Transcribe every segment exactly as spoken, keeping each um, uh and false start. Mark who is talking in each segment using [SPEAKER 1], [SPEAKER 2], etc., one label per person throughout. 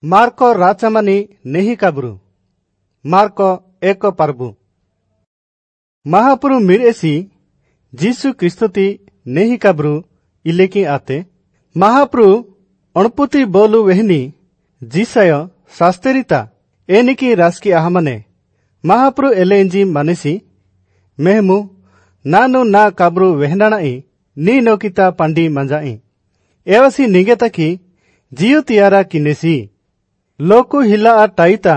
[SPEAKER 1] Mark राचामानी नेही Kabru mark एक पारबू महाप्रभु मिरएसी जीसु क्रिस्तुती नेही काब्रू इलेकी आते महाप्रभु अणपुती बोलु वेहनी जिसाय शास्त्रीता एनिकी रासकी आहामाने महाप्रभु एले इंजी मानेसी मेहमु नानु ना काब्रू वेहनाणाई नी नोकिता पांडी मंजाई एवासी निगेताकी जियु तियारा किनेसी लोकु हिला आ टाइता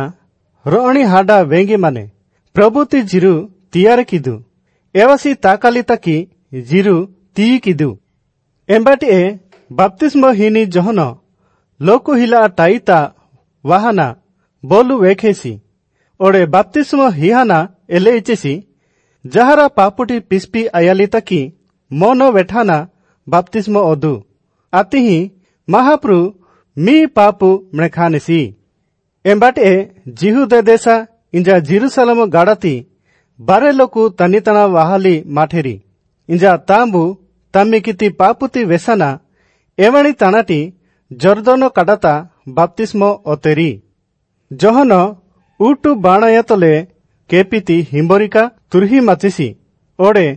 [SPEAKER 1] रोणी हाडा वेंगी माने प्रभुति जिरु तियार किदु एवासी ताकाली ताकी जिरु ती किदु एम्बाटी ए बाप्तिस्म हिनी जोहन लोकु हिला टाइता वाहाना बोलु वेखेसी ओडे बाप्तिस्म हिहाना एले इचेसी जहारा पापुटी पिस्पी आयाली ताकी मोनो वेठाना बाप्तिस्म ओदु आतिही महाप्रभु मी पापु मणखानेसी एम्बाटे जिहुदे देशा इंजा जिरुसलम गाड़ाती बारे लोकु तनितना वाहाली माठेरी इंजा तांबु तम्मी पापुती वेसाना एवणी ताणाटी जर्दनो काडाता बाप्तिस्म ओतेरी जोहन उटु बाणायतले केपिती हिंबोरिका तुरही माचिसी ओडे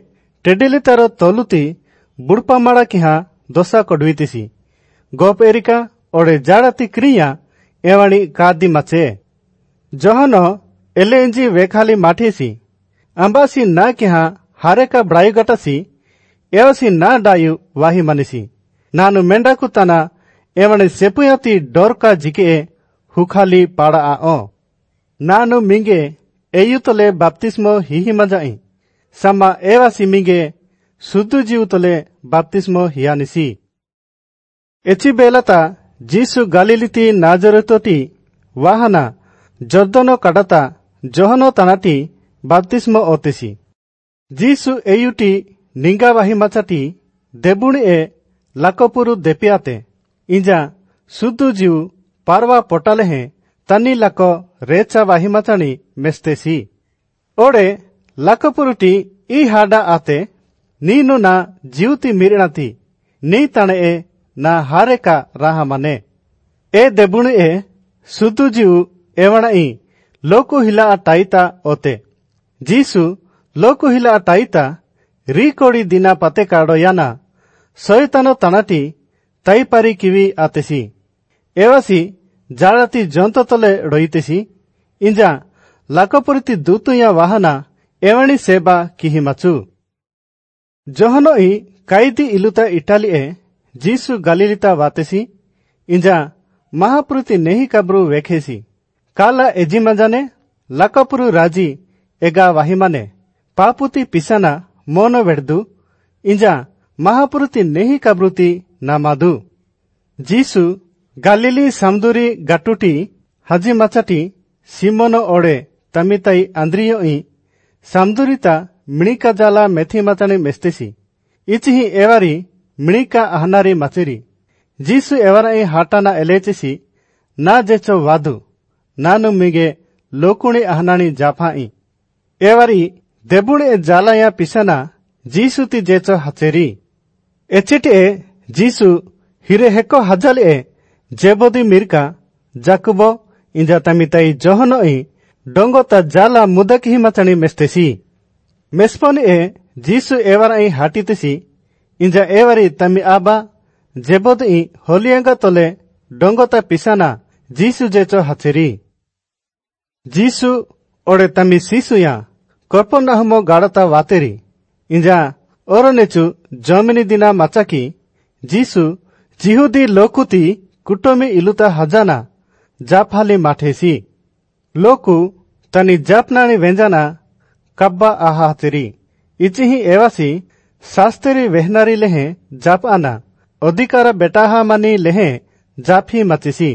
[SPEAKER 1] टेडिलितार तलुती बुडपामाडा किहा दोसा कडवितेसी गोप एरिका ओडे जाडाती क्रिया एवाणी कादी माचे जोहन एले इंजी वेखाली माठेसी अंबासी ना किहा हारेका ब्रायुगटासी एवासी ना डायु वाही मानेसी नानु मेंडाकुताना एवाणी सेपुयाती डोरका जिके हुखाली पाड़ा आ नानु मिंगे एयुतले बाप्तिस्म हिही मजाई सामा एवासी मिंगे शुद्ध जीवतले बाप्तिस्म हियानिसी एची बेलाता जीसु गालिलीती नाजरेतती वाहाना जर्दनो काडाता जोहनो तानाटी बाप्तिस्म ओतेसी जीसु एयुटी निंगा वाही माचाटी देबुणी ए लाकोपुरु देपियाते इंजा शुद्ध जीव पारवा पोटाले हे तनी लाको रेचा वाही माचाणी मेस्तेसी ओडे लाकोपुरुटी ई हाडा आते नीनु ना जीवती मिरणाती नी ताणे ए ना हारेका राहा माने ए देबुणी ए शुद्ध जीव एवणाई लोकु हिला टाइता ओते जीसु लोकु हिला टाइता रीकोड़ी दिना पाते काडो याना शयतानो ताणाटी ताईपारी किवी आतेसी एवासी जाडाती जंततले रोईतेसी इंजा लाकोपुरती दूतुया वाहना एवणी सेवा किही माचू जोहनो ई कायदी इलुता इटाली ए जीसु गालिलीता वातेसी इंजा महापुरुती नेही काब्रू वेखेसी काला एजी मजाने लाकोपुरु राजी एगा वाहिमाने पापुती पिसाना मोनो वेडदु इंजा महापुरुती नेही काब्रुती नामादु जीसु गालिली सामदुरी गाटुटी हाजी माचाटी सिमोनो ओडे तमिताई आंद्रियो ई सामदुरीता मिणिका जाला मेथी माचाणी मेस्तेसी इचिही एवारी मिणिका आहनारी माचेरी जीसु एवाराई हाटाना एलेचेसी ना जेचो वादु नानु मिगे लोकुणी आहनाणी जाफाई एवारी देबुणे जालाया पिसाना जीसुती जेचो हाचेरी एचेटे जीसु हिरे हेको हाजाले जेबदी मिरका जाकुबो इंजा तमिताई जोहनो ई डोंगोता जाला मुदकी माचाणी मेस्तेसी मेस्पन ए जीसु एवाराई हाटीतेसी इंजा एवारी तमी आबा जेबदी होलियांगा तले डोंगोता पिसाना जीसु जेचो हाचेरी जीसु ओडे तमी सिसुया कर्पनाहमो गाड़ता वातेरी इंजा ओरनेचु जमिनी दिना माचाकी जीसु जिहुदी लोकुती कुटोमी इलुता हजाना जाफाली माठेसी लोकु तनी जापनाणी वेंजाना कब्बा आहा हाचेरी इचिही एवासी शास्त्री वेहनारी लेहे जाप आना अधिकार बेटाहा मानी लेहे जाफी माचिसी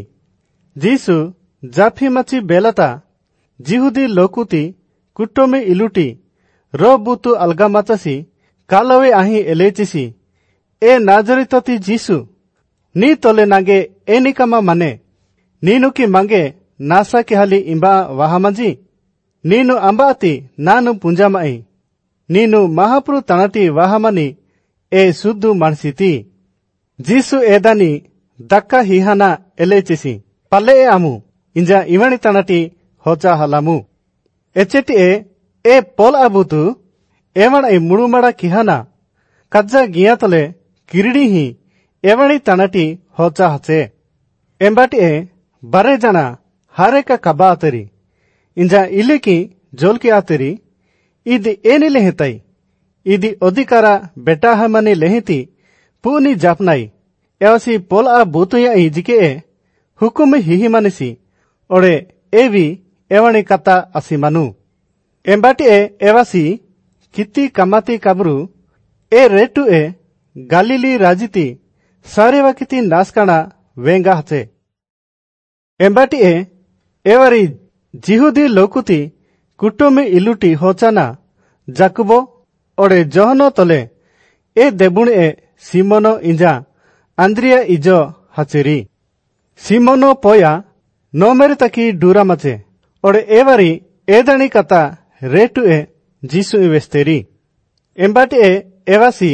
[SPEAKER 1] जीसु जाफी माची बेलाता जिहुदी लोकुती कुटोमी इलुटी रो बुतु अलगा माचासी कालवे आही एलेचिसी ए नाजरितती जीसु नी तोले नागे एनिकामा माने नीनुकी मांगे नासा के हाली इंबा वाहामाजी नीनु अंबाती नानु पुंजामाई नीनु महाप्रभु ताणाटी वाहामानी ए शुद्धु माणसीती जीसु एदानी दक्का हिहाना एलेचिसी। पाले ए आमु इंजा इवाणी तानाटी होचा हलामु एचेटी ए ए पोल आबुतु एवण ए मुड़ुमाड़ा किहाना कज्जा गियातले किरडी ही एवणी तानाटी होचा हचे एम्बाटी ए बारे जाना हारे का कबा आतरी इंजा इले की जोलकी आतरी इदी एनी लेहेताई इदी अधिकारा बेटा हमानी लेहेती पूनी जापनाई एवसी पोल आ बुतुया इजिके ए हुकुम हिही मानेसी ओड़े एवी एवणी कता आसी मानू एम्बाटी ए एवासी किती कमाती काबरू ए रेटू ए गालिली राजिती सारे वाकिती नासकाना वेंगा हचे एम्बाटी ए एवारी जिहुदी लोकुती कुटुमे इलुटी होचाना जाकुबो ओड़े जोहनो तले ए देबुण ए सिमोनो इंजा आंद्रिया इजो हचेरी सिमोनो पोया नोमेर ताकी डूरा माचे ओड़े एवारी एदाणी कता रेटू ए जीसु इवेस्तेरी एम्बाटी ए एवासी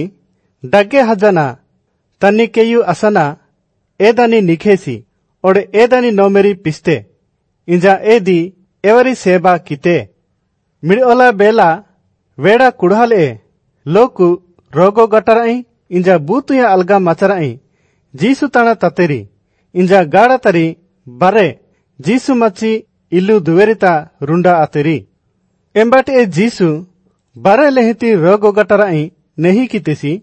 [SPEAKER 1] डगे हजाना तनी केयु आसाना एदानी निखेसी ओड़े एदानी नोमेरी पिस्ते इंजा एदी एवरी सेवा किते मिड़ओला बेला वेड़ा कुड़हाले लोकु रोगो गटराई इंजा बूतुया अलगा माचराई जीसु ताना ततेरी इंजा गाड़ा तरी बारे जीसु माची इल्लु दुवेरिता रुंडा आतेरी एम्बाटे ए जीसु बारे लेहेती रोगो गटराई नहीं कितेसी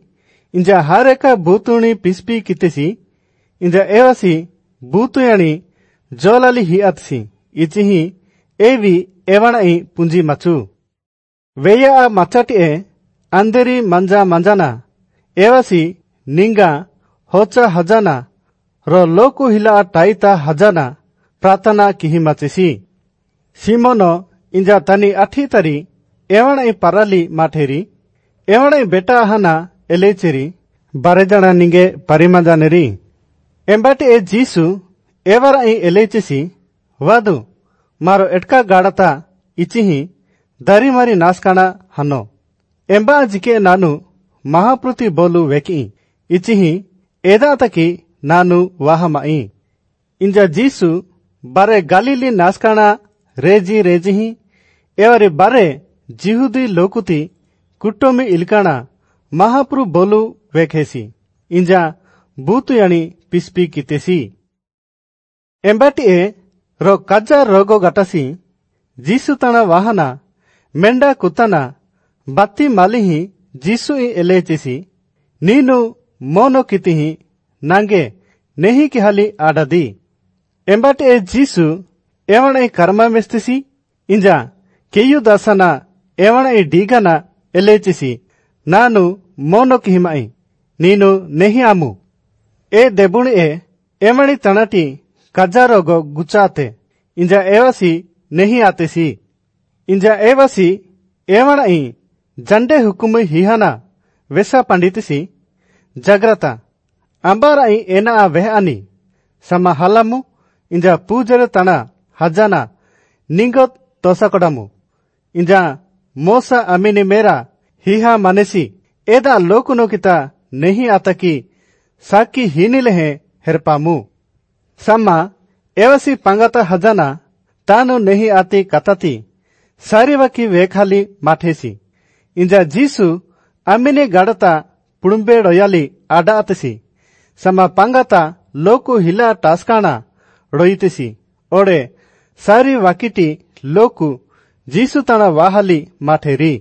[SPEAKER 1] इंजा हारेका बूतुणी पिस्पी कितेसी इंजा एवासी बूतुयाणी जोलाली ही आतसी इचिही एवी एवाणाई पुंजी माचू वेया आ माचाटी ए अंधेरी मंजा मंजाना एवासी निंगा होचा हजाना रो लोकु हिला टाइता हजाना प्रार्थना किही माचेसी सिमोनो इंजा तनी अठी तरी एवणाई पराली माठेरी एवणाई बेटा हना एलेचेरी बारे जाना निंगे परिमाजानेरी एम्बाटी ए जीसु एवराई एलेचेसी वादु मारो एटका गाड़ता इचिही दारी मारी नासकाना हनो एम्बा जिके नानु महाप्रति बोलु वेकी इचिही एदा तकी नानु वाहमाई इंजा जीसु बारे गालिली नासकाना रेजी रेजिही एवरे बारे जिहुदी लोकुती कुटोमी इलकाना महाप्रु बोलु वेखेसी इंजा बूतुयाणी पिस्पी कितेसी एम्बाटी ए रो कज्जा रोगो गटासी जीसु ताना वाहना मेंडा कुताना बाती मालिही जीसु ई एलेचेसी नीनु मोनो कितिही नांगे नेही किहाली आडादी एम्बाटे ए जीसु एवण कर्मा मेस्तिसी इंजा केयु दासना एवण डीगाना एलेचेसी नानु मोनो किहिमाई नीनु नेही आमु ए देबुण ए एवणी तणाटी कज्जा रोगो गुचाते इंजा एवासी नेही आतेसी इंजा एवासी एवणाई जंडे हुकुम हिहाना वेसा पंडितसी जाग्रता अंबाराई एना वेह आनी समा हलामु इंजा पूजरे तना हजाना निंगो तोसाकोडामु इंजा मोसा अमिनी मेरा हिहा मानेसी एदा लोकुनोकिता नहीं आता की साकी हिनी लेहे हेरपामु सम्मा एवसी पंगाता हजाना तानु नहीं आती कताती सारी वाकी वेखाली माठेसी इंजा जीसु अमिने गाड़ता पुणुंबे डोयाली आडा आतेसी समा पंगाता लोकु हिला टास्काना डोईतेसी ओडे सारी वाकिटी लोकु जीसु ताना वाहाली माठेरी।